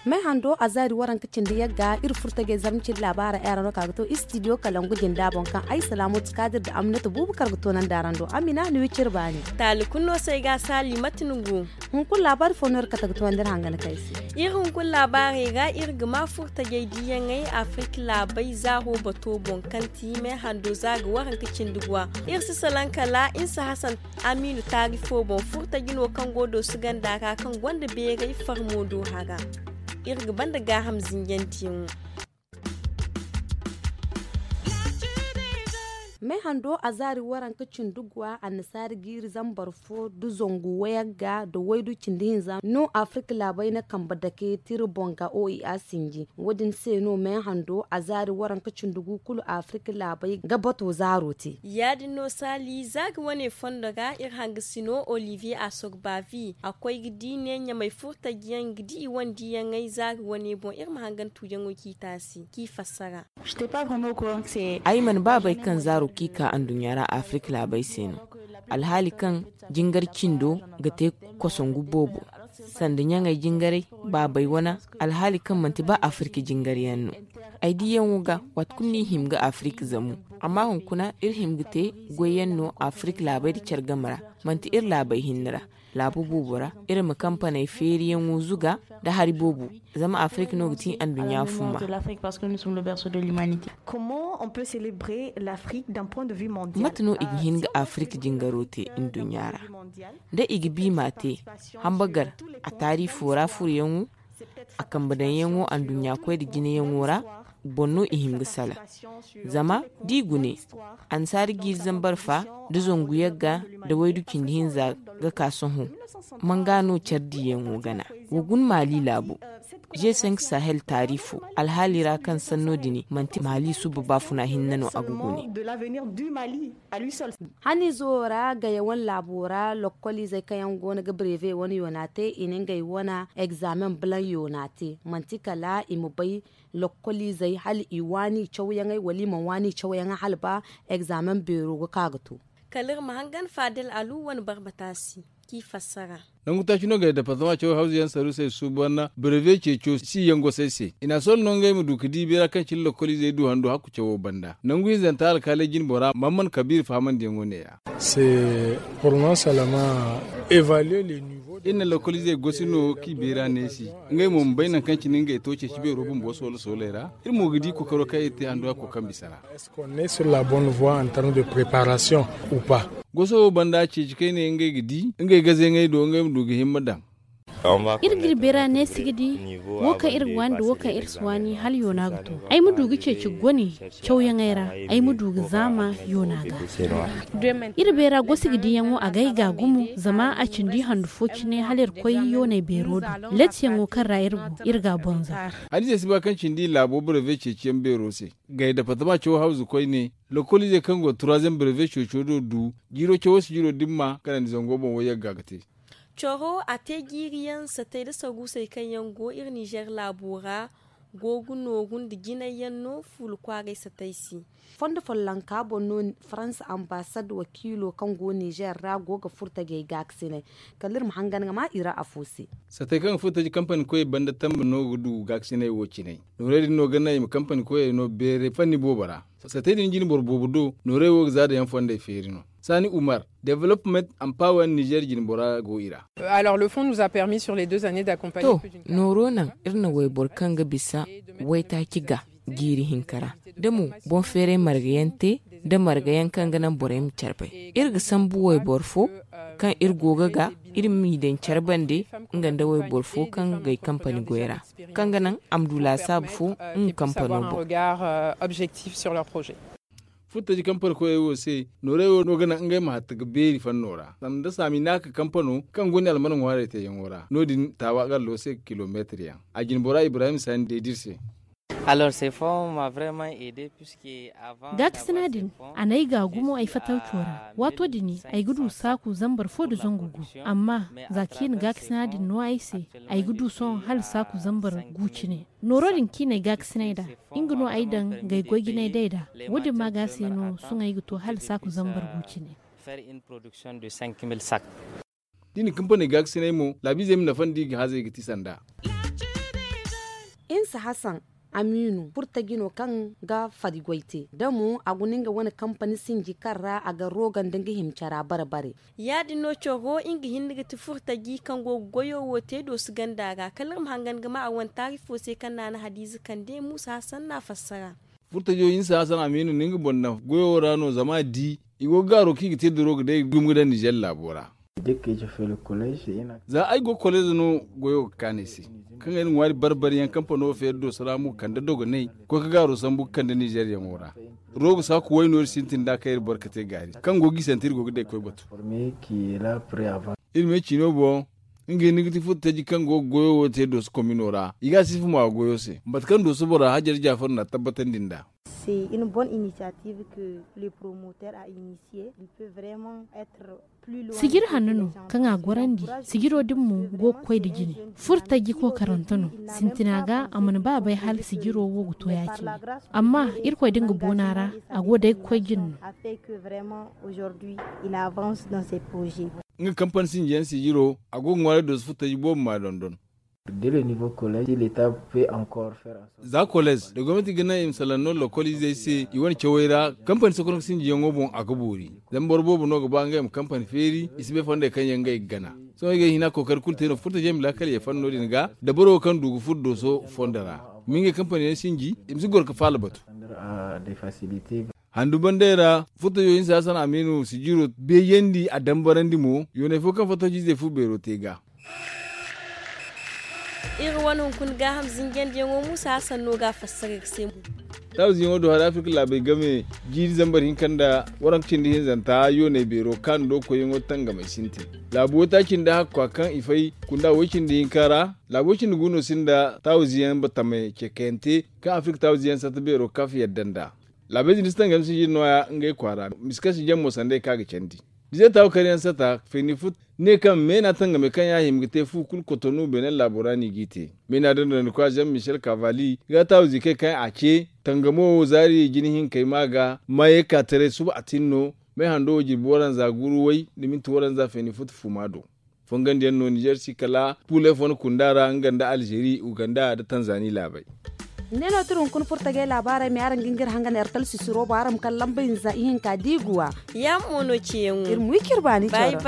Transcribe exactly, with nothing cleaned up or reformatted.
May hando a zaari waranka cindi yagga iri furtajey zarma cindi laabaara era no ka ga to istidiyo kalangu jinda boŋ kaŋ ay salaamu ti kaadir da aminata buubu kar ga toonandi araŋ do amina ni wi cire baani. Taali kulu no se ay ga a saali mate ni go? Hunkuna laabaari fo no iri kate ga toonandi iri hanga ni kay se. Iri hunkuna laabaarey ra iri ga ma furtajey diiyaŋey afirika laabey zaaro bato boŋ kaŋ ti may hando za ga waranka cindi guwa. Iri si salaŋ kala insa hasan amiinu taari fo boŋ furtaji no kaŋ go dooso ganda ra kaŋ gonda beeray farmo do hara. Iri ga banda gaaham zinjandiyaŋo. May hando a zaari waranka cindi guwa annasaari jiiri zambar fo da zangu wayagga da waydu cindi hinza no afirika laabey na kambe dake tira boŋ ga oea sinji. Wo- din se no may hando a zaari waranka cindi gu kulu afirika laabey ga bato zaaro te. Ya- din no saali za ga wane fondo ra iri hangasino olivier asogbavi a koy ga di ne ɲamay furtajiyaŋ ga di i wane diiyaŋey za ga wane boŋ iri ma hangan tuuyaŋo k'i taasi k'i fassara. Ay mana ba bay kaŋ zaaro kaŋ i ka anduɲɲa ra afirika laabey se no, alhaali kaŋ jingar cindo ga te kosongu boobo, sanda ɲaŋey jingaray, baabey wane, alhaali kaŋ manti ba afirika jingar yaŋ no. Ay diiyaŋo ga waati kulu no i hima ga afirika zamu, amma hunkuna iri hima ga te goyyaŋ no afirika laabey nda care game ra, manti iri laabey hinne ra. Laabu boobo ra iri ma kampaney feeriyaŋo zuga nda hari boobo, zama afirika no ga ti anduɲɲa fumma. Mate no i ga hin ga afirika jingaro te nduɲɲa ra? Da i ga bi m'a te, hambagar a taariifo ra furoyaŋo, a kambe daŋyaŋo anduɲɲa koy nda jinayaŋo ra, boŋ no i hin ga salaŋ. Zama da i gune, annasaari jiiri zambar fa, da zangu yagga, da waydu cindi hinza ga ka sohõ, manga no care diiyaŋo gana? Wa guna maali laabo, g cinq sahel taariifo alhaali ra kaŋ sanno din manti maali suba baafuna hinne no a ga gune. Haniizo ra gaye wane laabo ra lokkoliizey kaŋ yaŋ go no ga breve wane yoona te i na ngey wane egzaamen balaŋ yoona te, manti kala i ma bay lokkoliizey hala i waani cawyaŋey wala i mana waani cawyaŋey hala ba egzaamen beero ga ka ga to. Kala iri ma hangan faadel alu wane barbata se k'i fassara. Nangu taaci no ga departama caw hawzu yaŋ saru se suuban breve ceeco si yaŋ gosey se i na a sohõ no ngey ma du ga di beera kaŋ cine lokkoliizey du handu hakku cawo banda nangu hinzanta alkaaley jine bora mamman kabiir fahamandiyaŋo neeya. Iri na lokkoliizey gosi no kaŋ i beera neesi, ngey mo ma bay nangu kaŋ cine ngey to ceeci beero bumbo soolo sooley ra. Iri mo ga di kokaro kaŋ iri te handu hakko kaŋ bisa ra. Goso wo banda ceeci kayne ngey ga di ngey gazeŋey do ngey ma du ga himma daŋ. Iri ga iri beera neesi ga di wo kaŋ iri ga waani nda wo kaŋ iri si waani hala yoona ga to. Ay ma du ga ceeci gone cawyaŋey ra, ay ma du ga zaama yoona ga. Iri beera gosi ga diyaŋo a ga ay ga gumo zama a cindi handu fo cine hala iri koy yooney beero do. Lettiyaŋo kaŋ ra iri go, iri ga a bonza. Hadiza si ba kaŋ cindi laabo breve ceeciyaŋ beero se. Gay departama cawo hawzu koyne, lokkoliizey kaŋ go troisième breve ceeco do du jiiro cawo si jiiro dimma kanandi zango boŋ wo yagga ga te. Coro a te jiiriyaŋ satey nda saruusey kaŋ yaŋ go iri nizer laabo ra, go ga nooru nda jinay yaŋ no fuula kwaaray satey se. Fondo follonka boŋ no faransa ambaasad wakiilo kaŋ go nizer ra go ga furtajey gaakasinay. Kala iri ma hangan ga ma i ra afo se. Satey kaŋ ga furtaji kampani koyey banda tambe no ga du gaakasinay wo cinay. Noorey din no ga naŋ i ma kampani koyey no beeray fanni boobo ra. Satey din jine boro boobo do noorey wo ga za daŋ yaŋ fondey feeri no. Saani umar, development and power nizer jine bora go i ra. To, nooro naŋ iri na wayboro kaŋ ga bisa waytaaci ga jiiri hinka ra, da mo boŋ feeray marga yaŋ te, nda marga yaŋ kaŋ ga naŋ borey ma care bay. Iri ga sambu wayboro fo kaŋ iri go ga ga, iri m'i daŋ care bande, nga nda wayboro fo kaŋ ga ay kampani goy ra, kaŋ ga naŋ a ma du laasaabu fo nga kampano boŋ. Furtaji kaŋ parkoyey wo se, noorey wo no ga naŋ ngey ma hatta ga beeri fanno ra sanda saami naaka kampano kaŋ gonda alman ŋwaarey teeyaŋo ra no- din taawa gallo se kilomeetir yaŋ. A jine bora ibrahim sani deedi iri se. Gaakasina din, a n'ay ga gumo ay fattawco ra. Waato din ay ga du saaku zambar fo nda zangu gu. Amma za kaŋ i na gaakasina din no ay se, ay ga du sohõ hala saaku zambar gu cine. Nooro din kaŋ i n'ay gaakasinay nd'a, nga no ay daŋ ga ay goy jinay day nd'a. Wo-din ma ga se no sohõ ay ga to hala saaku zambar gu cine. Da i na kampaney gaakasinay mo, laabiizey ma nafa nda i ga hazey ga ti sanda. Insa hasan, amiinu furtaji no kaŋ ga fari goy te da mo a guna nga wane kampani sinji kaŋ ra a ga roga nda nga hima cara bare-bare. Ya-din no coro nga hinne ga ti furtaji kaŋ go ga goyo wo te dooso ganda ra kala iri ma hangan ga ma a wane taari fo se kaŋ naana hadiize kande muusa hasan n'a fassara. Furtajo insa hasan amiinu no nga boŋ daŋ goyo ra no zama a di i go ga gaaro kaŋ i ga te duro ga day gumo ga daŋ nizer laabo ra. Za ay go koleez no goyo ga kaanu ay se kaŋ ay na ŋwaari barbari yaŋ kampano feeri dooso ra mo kande dogonay ga koy ga gaaro sambu ga kande nizer yaŋo ra. Rogo saaku wayno iri sintin nd'a kaŋ iri boro ga te gaari kaŋ go ga i sante iri go ga day ga koy batu. Iri me ciino boŋ nga hinne ga ti furtaji kaŋ go ga goyo wo te dooso komino ra i ga a sifa mo a goyo se mate kaŋ dooso bora hajar jaafar n'a tabbatandi nd'a. Sijir hanno no kaŋ a gorandi. Sijiro din mo go ga koy nda jine. Furtaji kookarante no. Sintina ga a mana ba a bay hala sijiro wo ga to ya-cine. Amma irkoy da nga boona ra a go day ga koy jine no. Nga kampani sinjiyaŋ sijiro a go ga ŋwaaray dooso furtaji boobo ma dondon. Za koleez da gomnati ga naŋ i ma salaŋ no lokol izey se i wane cawey ra kampani sokoronka sinjiyaŋo boŋ a ga boori. Zama boro boobo no ga ba ngey ma kampani feeri i si bay fondey kaŋ yaŋ ngey ga gana. Sohõ i ga ay hina kookari kulu te no furtajey ma laakal ye fanno din ga da boro wo kaŋ du ga furo dooso fondo ra ma ngey kampani yaŋ sinji i ma si goro ga faala batu. Handu bandey ra furtajo hinsa hasan amiinu sijiro beejandi a dambarandi mo yoonay fo kaŋ fattaciizey fu beero te ga. Iri wane hunkuna gaaham zinjandiyaŋo muusa hasan no ga a fassara iri se. Taawiziyaŋo do hari afirka laabey game jiiri zambar hinka nda waranka cindi hinzanta yoonay beero kaanu do koyyaŋo tangamey sintin. Laabu waytaaci nda hakka kaŋ i fay kunda way cindi hinka ra laabu way cindi gu no sinda taawiziyaŋ batamey cekayante kaŋ afirka taawiziyaŋ sata beero kaf yadda nda. Laabey din si tangam si jiri nooya ngey kwaara misi kaŋ si jaŋ mo sanda i kaŋ a ga candi. Bize taawu kar yaŋ sata feeni fut ne kaŋ meena tangamey kaŋ yaŋ a hima ga te fu kulu kotonu beene laabo ra no i g'i te. Meena dondonandikwa jean michel kavali ga taawu ziikey kaŋ a ce tangamo wo zaari jine hinkey ma ga maayey ka taray suba a tin no. Meehando wo jirbi waranza guuru way nda minti waranza feeni fut fuma do. Fongandiyaŋ no nizer si kala puley fo na kunda ra nga nda alzeeri uganda nda tanzani laabey. Ne no tira hunkuna furtagey laabaarey me araŋ ga ngir hangan ertal sisiro bo araŋ ma kala lamba hinza ihinka diiguwa. Yaamo no ceeyaŋo iri ma wi ciri baani coro.